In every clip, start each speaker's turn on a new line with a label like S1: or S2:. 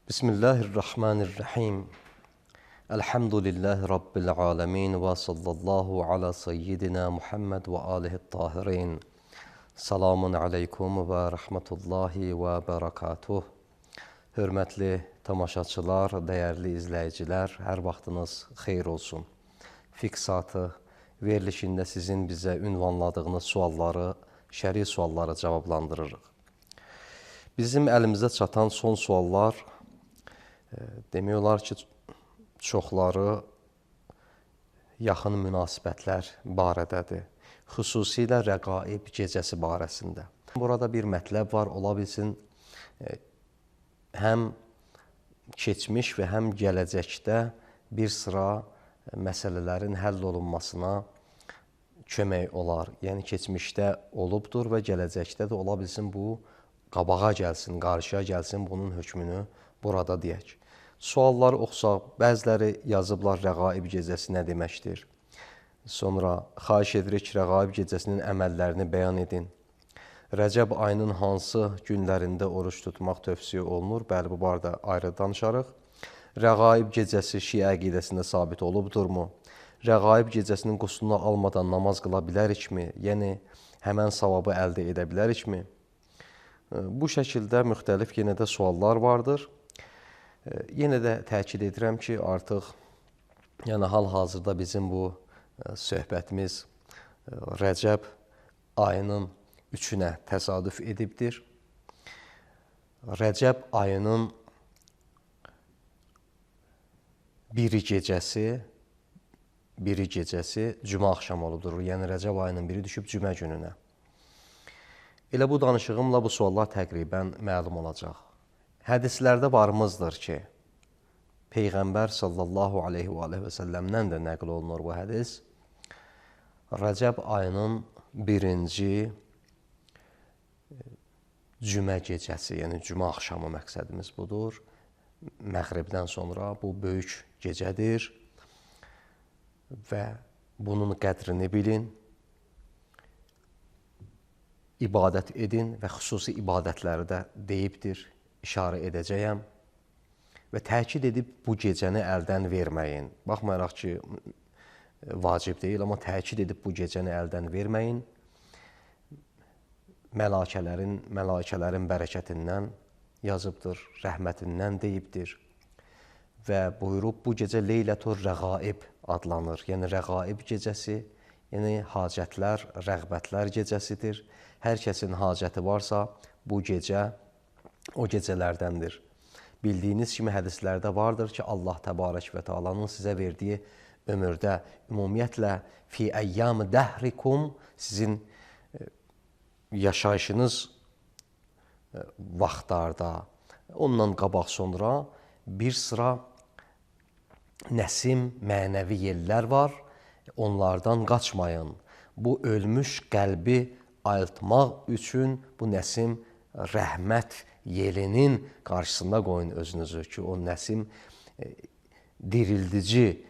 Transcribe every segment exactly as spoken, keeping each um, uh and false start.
S1: Bismillahirrahmanirrahim. Elhamdülillahi Rabbil alemin ve sallallahu ala seyyidina Muhammed ve alihi tahirin. Salamun aleykum və rəhmətullahi və bərəkatuh. Hörmətli tamaşaçılar, dəyərli izləyicilər, hər vaxtınız xeyir olsun. Fiksatı verilişində sizin bizə ünvanladığınız sualları, şəri sualları cavablandırırıq. Bizim əlimizə çatan son suallar demək olar ki, çoxları yaxın münasibətlər barədədir. Xüsusilə rəqaib gecəsi barəsində. Burada bir mətləb var, ola bilsin, həm keçmiş və həm gələcəkdə bir sıra məsələlərin həll olunmasına kömək olar. Yəni, keçmişdə olubdur və gələcəkdə də ola bilsin, bu qabağa gəlsin, qarşıya gəlsin, bunun hökmünü burada deyək. Sualları oxusaq, bəziləri yazıblar rəqaib gecəsi nə deməkdir? Sonra xahiş edirik rəqaib gecəsinin əməllərini bəyan edin. Rəcəb ayının hansı günlərində oruç tutmaq tövsiyə olunur? Bəli, bu barədə ayrı danışarıq. Rəqaib gecəsi Şiə əqidəsində sabit olubdurmu? Rəqaib gecəsinin quslunu almadan namaz qıla bilərikmi? Yəni, həmən savabı əldə edə bilərikmi? Bu şəkildə müxtəlif yenə də suallar vardır. Yenə də təkid edirəm ki, artıq yəni hal-hazırda bizim bu söhbətimiz Rəcəb ayının üçünə təsadüf edibdir. Rəcəb ayının biri gecəsi, biri gecəsi cümə axşamı olubdur. Yəni Rəcəb ayının biri düşüb cümə gününə. Elə bu danışığımla bu suallar təqribən məlum olacaq. Hədislərdə varımızdır ki, Peyğəmbər sallallahu aleyhi və aleyhi və səlləmdən də nəql olunur bu hədis. Rəcəb ayının birinci cümə gecəsi, yəni cümə axşamı məqsədimiz budur. Məğribdən sonra bu böyük gecədir və bunun qədrini bilin, ibadət edin və xüsusi ibadətləri də deyibdir. İşarə edəcəyəm və təkid edib bu gecəni əldən verməyin. Baxmayaraq ki, vacib deyil, amma təkid edib bu gecəni əldən verməyin. Mələkələrin, mələkələrin bərəkətindən yazıbdır, rəhmətindən deyibdir və buyurub bu gecə Leylətur Rəqaib adlanır. Yəni, rəqaib gecəsi, yəni hacətlər, rəğbətlər gecəsidir. Hər kəsin hacəti varsa, bu gecə o gecələrdəndir. Bildiyiniz kimi hədislərdə vardır ki, Allah Təbarək və Teala'nın sizə verdiyi ömürdə, ümumiyyətlə, fi əyyam dəhrikum, sizin yaşayışınız vaxtlarda, ondan qabaq sonra bir sıra nəsim, mənəvi yellər var, onlardan qaçmayın. Bu ölmüş qəlbi ayıltmaq üçün bu nəsim rəhmət yelinin qarşısında qoyun özünüzü ki, o nəsim dirildici,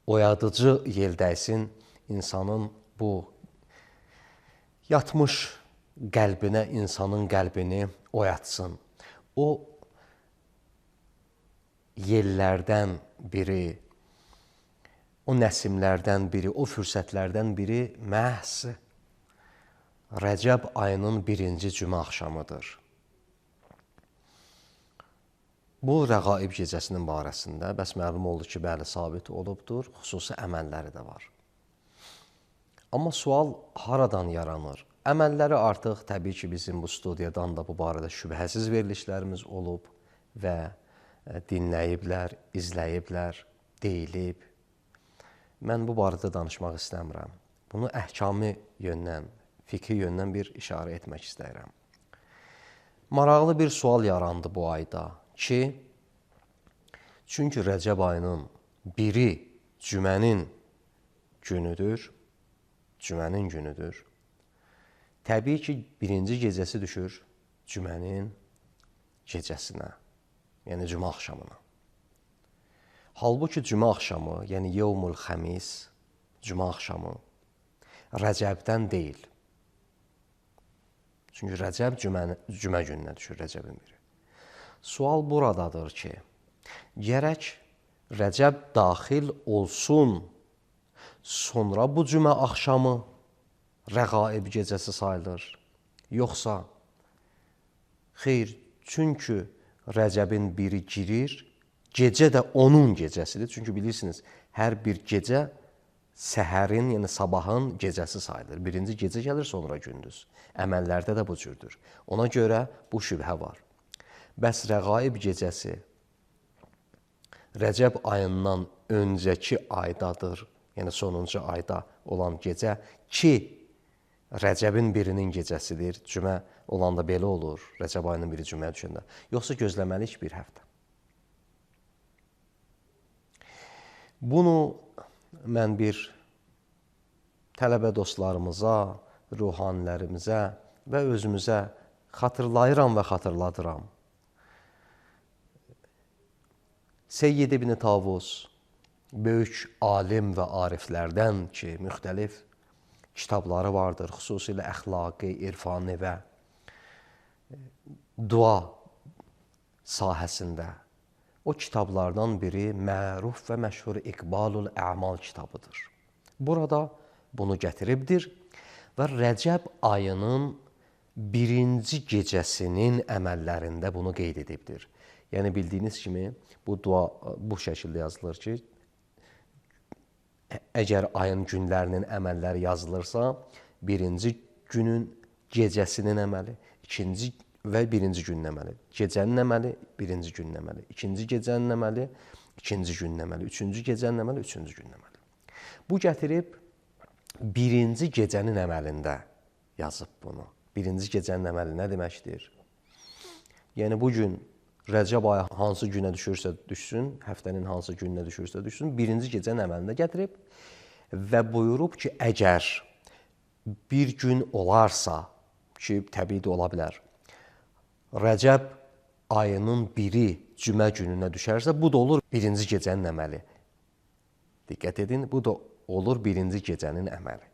S1: oyadıcı yel dəysin, insanın bu yatmış qəlbinə, insanın qəlbini oyatsın. O yellərdən biri, o nəsimlərdən biri, o fürsətlərdən biri məhz Rəcəb ayının birinci cümə axşamıdır. Bu rəqaib gecəsinin barəsində bəs məlum oldu ki, bəli, sabit olubdur, xüsusi əməlləri də var. Amma sual haradan yaranır? Əməlləri artıq təbii ki, bizim bu studiyadan da bu barədə şübhəsiz verilişlərimiz olub və dinləyiblər, izləyiblər, deyilib. Mən bu barədə danışmaq istəmirəm. Bunu əhkami yöndən, fikri yöndən bir işarə etmək istəyirəm. Maraqlı bir sual yarandı bu ayda ki, çünki Rəcəb ayının biri cümənin günüdür, cümənin günüdür. Təbii ki, birinci gecəsi düşür cümənin gecəsinə, yəni cümə axşamına. Halbuki cümə axşamı, yəni yevmul xəmis, cümə axşamı Rəcəbdən deyil. Çünki Rəcəb cümə, cümə gününə düşür, Rəcəbin biri. Sual buradadır ki, gərək Rəcəb daxil olsun, sonra bu cümə axşamı rəğaib gecəsi sayılır. Yoxsa, xeyr, çünki Rəcəbin biri girir, gecə də onun gecəsidir. Çünki bilirsiniz, hər bir gecə səhərin, yəni sabahın gecəsi sayılır. Birinci gecə gəlir, sonra gündüz. Əməllərdə də bu cürdür. Ona görə bu şübhə var. Bəs rəğaib gecəsi Rəcəb ayından öncəki aydadır, yəni sonuncu ayda olan gecə ki, Rəcəbin birinin gecəsidir. Cümə olanda belə olur, Rəcəb ayının biri cüməyə düşəndə. Yoxsa gözləməliyik bir həftə. Bunu mən bir tələbə dostlarımıza, ruhanilərimizə və özümüzə xatırlayıram və xatırladıram. Seyyid İbn Tavus, böyük alim və ariflərdən ki, müxtəlif kitabları vardır, xüsusilə əxlaqi, irfani və dua sahəsində. O kitablardan biri məruf və məşhur İqbalul Əmal kitabıdır. Burada bunu gətiribdir və Rəcəb ayının birinci gecəsinin əməllərində bunu qeyd edibdir. Yəni bildiyiniz kimi bu dua bu şəkildə yazılır ki, əgər ayın günlərinin əməlləri yazılırsa, birinci günün gecəsinin əməli, ikinci və birinci günün əməli, gecənin əməli, birinci günün əməli, ikinci gecənin əməli, ikinci günün əməli, üçüncü gecənin əməli, üçüncü günün əməli. Bu gətirib birinci gecənin əməlində yazıb bunu. Birinci gecənin əməli nə deməkdir? Yəni bu gün Rəcəb ayı hansı günə düşürsə düşsün, həftənin hansı gününə düşürsə düşsün, birinci gecənin əməlində gətirib və buyurub ki, əgər bir gün olarsa, ki, təbii də ola bilər, Rəcəb ayının biri cümə gününə düşərsə, bu da olur birinci gecənin əməli. Diqqət edin, bu da olur birinci gecənin əməli.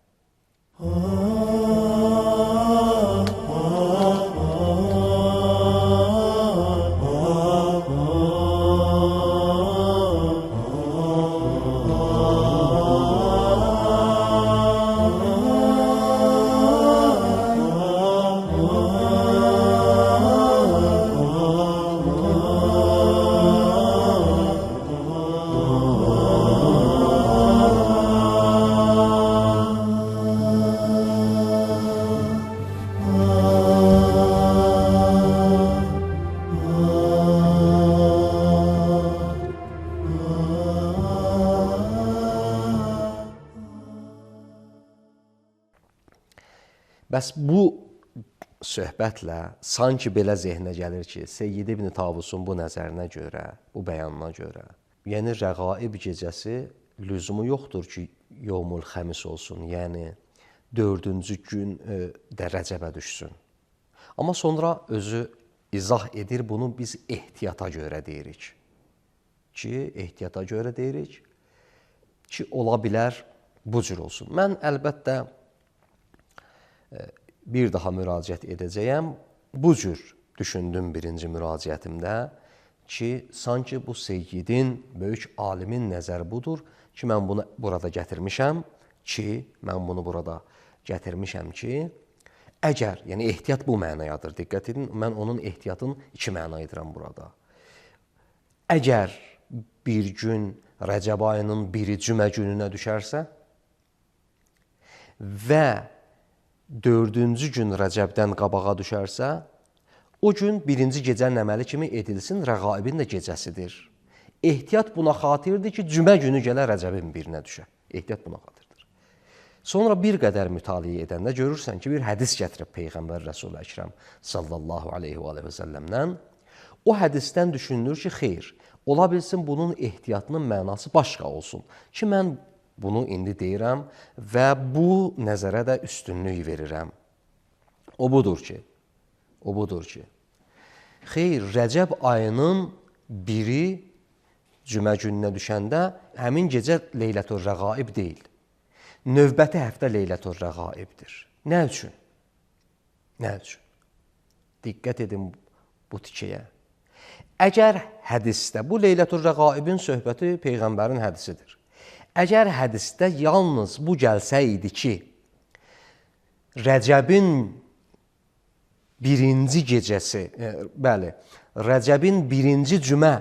S1: Bəs bu söhbətlə sanki belə zehnə gəlir ki, Seyyid İbn Tavusun bu nəzərinə görə, bu bəyanına görə, yəni rəğaib gecəsi lüzumu yoxdur ki, yevmul xəmis olsun, yəni dördüncü gün də Rəcəbə düşsün. Amma sonra özü izah edir, bunu biz ehtiyata görə deyirik. Ki, ehtiyata görə deyirik ki, ola bilər bu cür olsun. Mən əlbəttə bir daha müraciət edəcəyəm. Bu cür düşündüm birinci müraciətimdə ki, sanki bu Seyyidin, böyük alimin nəzəri budur ki, mən bunu burada gətirmişəm ki, mən bunu burada gətirmişəm ki, əgər, yəni ehtiyat bu mənayadır, diqqət edin, mən onun ehtiyatın iki məna edirəm burada. Əgər bir gün Rəcəb ayının biri cümə gününə düşərsə və dördüncü gün Rəcəbdən qabağa düşərsə, o gün birinci gecənin əməli kimi edilsin, rəğaibin də gecəsidir. Ehtiyat buna xatirdir ki, cümə günü gələ Rəcəbin birinə düşə. Ehtiyat buna xatirdir. Sonra bir qədər mütaliə edəndə görürsən ki, bir hədis gətirib Peyğəmbər Rəsul-i Əkrəm sallallahu aleyhi və səlləmdən. O hədisdən düşünülür ki, xeyr, ola bilsin bunun ehtiyatının mənası başqa olsun ki, mən bunu indi deyirəm və bu nəzərə də üstünlük verirəm. O budur ki, o budur ki, xeyr, Rəcəb ayının biri cümə gününə düşəndə həmin gecə Leylətür Rəğaib deyil. Növbəti həftə Leylətür Rəğaibdir. Nə üçün? Nə üçün? Diqqət edin bu tikəyə. Əgər hədisdə, bu Leylətül Rəqaibin söhbəti Peyğəmbərin hədisidir. Əgər hədisdə yalnız bu gəlsəydi ki, Rəcəbin birinci gecəsi, e, bəli, Rəcəbin birinci cümə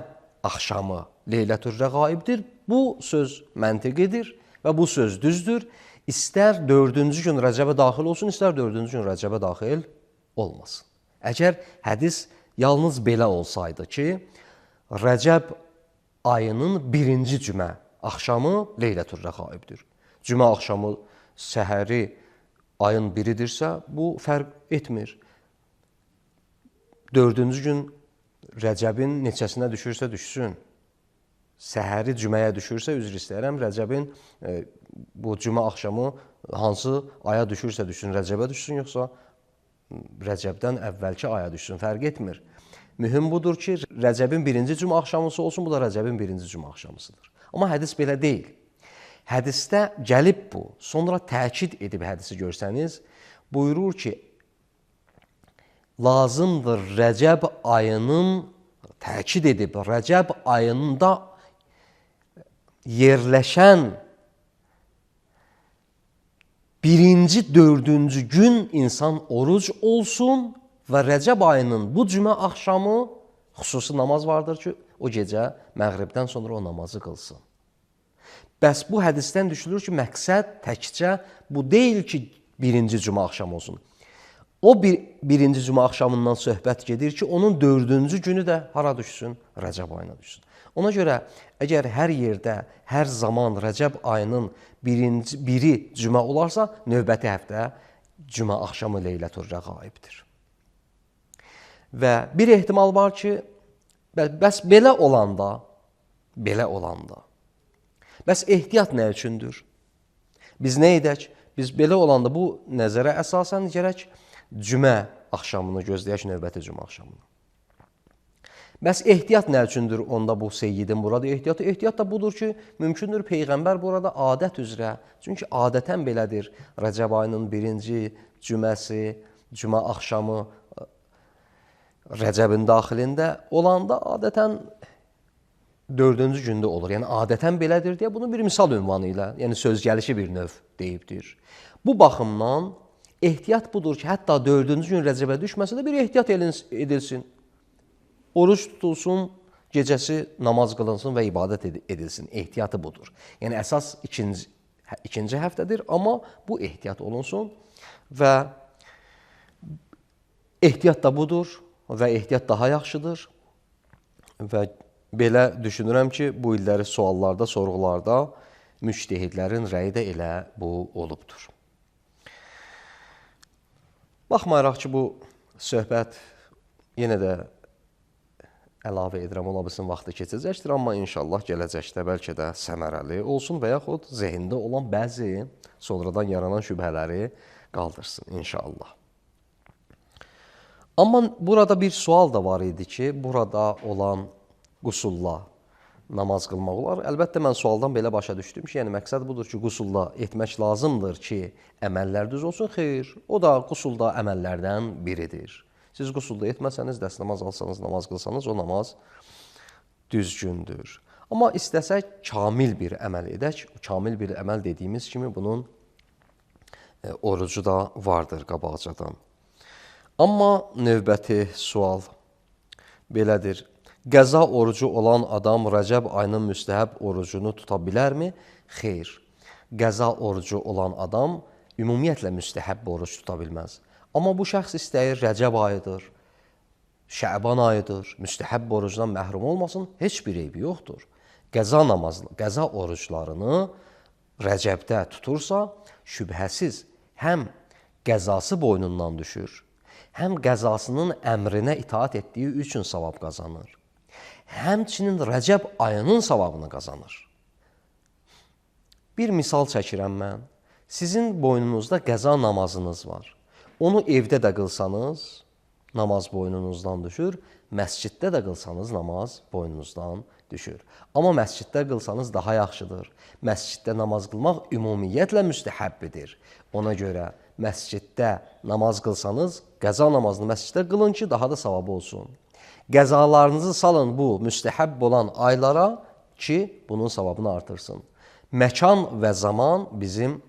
S1: axşamı Leylətül Rəqaibdir, bu söz məntiqidir və bu söz düzdür. İstər dördüncü gün Rəcəbə daxil olsun, istər dördüncü gün Rəcəbə daxil olmasın. Əgər hədis yalnız belə olsaydı ki, Rəcəb ayının birinci cümə axşamı Leylətül Rəqaibdir. Cümə axşamı səhəri ayın biridirsə, bu fərq etmir. Dördüncü gün Rəcəbin neçəsinə düşürsə düşsün. Səhəri cüməyə düşürsə, üzr istəyirəm, Rəcəbin e, bu cümə axşamı hansı aya düşürsə düşsün, Rəcəbə düşsün, yoxsa Rəcəbdən əvvəlki aya düşsün, fərq etmir. Mühüm budur ki, Rəcəbin birinci cümə axşamısı olsun, bu da Rəcəbin birinci cümə axşamısıdır. Amma hədis belə deyil. Hədisdə gəlib bu, sonra təkid edib hədisi görsəniz, buyurur ki, lazımdır Rəcəb ayının, təkid edib, Rəcəb ayında yerləşən birinci, dördüncü gün insan oruc olsun və Rəcəb ayının bu cümə axşamı xüsusi namaz vardır ki, o gecə məğribdən sonra o namazı qılsın. Bəs bu hədisdən düşülür ki, məqsəd təkcə bu deyil ki, birinci cümə axşamı olsun. O bir, birinci cümə axşamından söhbət gedir ki, onun dördüncü günü də hara düşsün? Rəcəb ayına düşsün. Ona görə, əgər hər yerdə, hər zaman Rəcəb ayının birinci, biri cümə olarsa, növbəti həftə cümə axşamı Leylətül Rəqaibdir. Və bir ehtimal var ki, bəs belə olanda, belə olanda, bəs ehtiyat nə üçündür? Biz nə edək? Biz belə olanda bu nəzərə əsasən gərək cümə axşamını gözləyək, növbəti cümə axşamını. Bəs ehtiyat nə üçündür onda bu seyyidin burada ehtiyatı? Ehtiyat da budur ki, mümkündür Peyğəmbər burada adət üzrə, çünki adətən belədir, Rəcəb ayının birinci cüməsi, cümə axşamı Rəcəbin daxilində olanda adətən dördüncü gündə olur. Yəni, adətən belədir deyə bunu bir misal ünvanı ilə, yəni söz gəlişi bir növ deyibdir. Bu baxımdan ehtiyat budur ki, hətta dördüncü gün Rəcəbə düşməsə də bir ehtiyat edilsin. Oruç tutulsun, gecəsi namaz qılınsın və ibadət edilsin. Ehtiyatı budur. Yəni, əsas ikinci, ikinci həftədir, amma bu ehtiyat olunsun və ehtiyat da budur və ehtiyat daha yaxşıdır və belə düşünürəm ki, bu illəri suallarda, sorğularda müctehidlərin rəyi də elə bu olubdur. Baxmayaraq ki, bu söhbət yenə də əlavə edirəm, ola bilsin vaxtı keçəcəkdir, amma inşallah gələcəkdə bəlkə də səmərəli olsun və yaxud zehində olan bəzi sonradan yaranan şübhələri qaldırsın inşallah. Amma burada bir sual da var idi ki, burada olan qusulla namaz qılmaq olar. Əlbəttə, mən sualdan belə başa düşdüm ki, yəni məqsəd budur ki, qusulla etmək lazımdır ki, əməllər düz olsun. Xeyr, o da qusulda əməllərdən biridir. Siz qusulda etməsəniz, dəst namaz alsanız, namaz qılsanız, o namaz düzgündür. Amma istəsək, kamil bir əməl edək. Kamil bir əməl dediyimiz kimi bunun e, orucu da vardır qabaqcadan. Amma növbəti sual belədir. Qəza orucu olan adam Rəcəb ayının müstəhəb orucunu tuta bilərmi? Xeyr. Qəza orucu olan adam ümumiyyətlə müstəhəb oruc tuta bilməz. Amma bu şəxs istəyir Rəcəb ayıdır, Şəban ayıdır, müstəhəb orucdan məhrum olmasın, heç bir eybi yoxdur. Qəza namazı, qəza oruclarını Rəcəbdə tutursa, şübhəsiz həm qəzası boynundan düşür, həm qəzasının əmrinə itaat etdiyi üçün savab qazanır. Həmçinin Rəcəb ayının savabını qazanır. Bir misal çəkirəm mən. Sizin boynunuzda qəza namazınız var. Onu evdə də qılsanız, namaz boynunuzdan düşür. Məsciddə də qılsanız, namaz boynunuzdan düşür. Amma məsciddə qılsanız daha yaxşıdır. Məsciddə namaz qılmaq ümumiyyətlə müstəhəbbidir. Ona görə məsciddə namaz qılsanız, qəza namazını məsciddə qılın ki, daha da savabı olsun. Qəzalarınızı salın bu müstəhəbb olan aylara ki, bunun savabını artırsın. Məkan və zaman bizim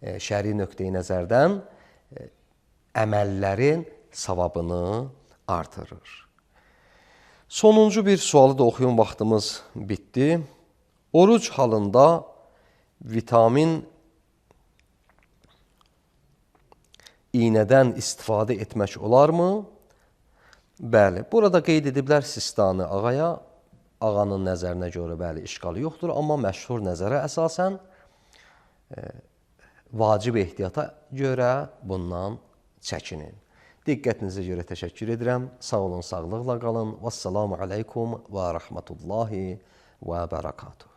S1: e, şəri nöqteyi nəzərdən e, əməllərin savabını artırır. Sonuncu bir sualı da oxuyun, vaxtımız bitdi. Oruc halında vitamin iynədən istifadə etmək olarmı? Bəli, burada qeyd ediblər Sistani ağaya. Ağanın nəzərinə görə bəli, işqalı yoxdur, amma məşhur nəzərə əsasən e, vacib ehtiyata görə bundan çəkinin. Diqqətinizə görə təşəkkür edirəm. Sağ olun, sağlıqla qalın. Vəssalamu aleykum və rəhmətullahi və bərəkatuhu.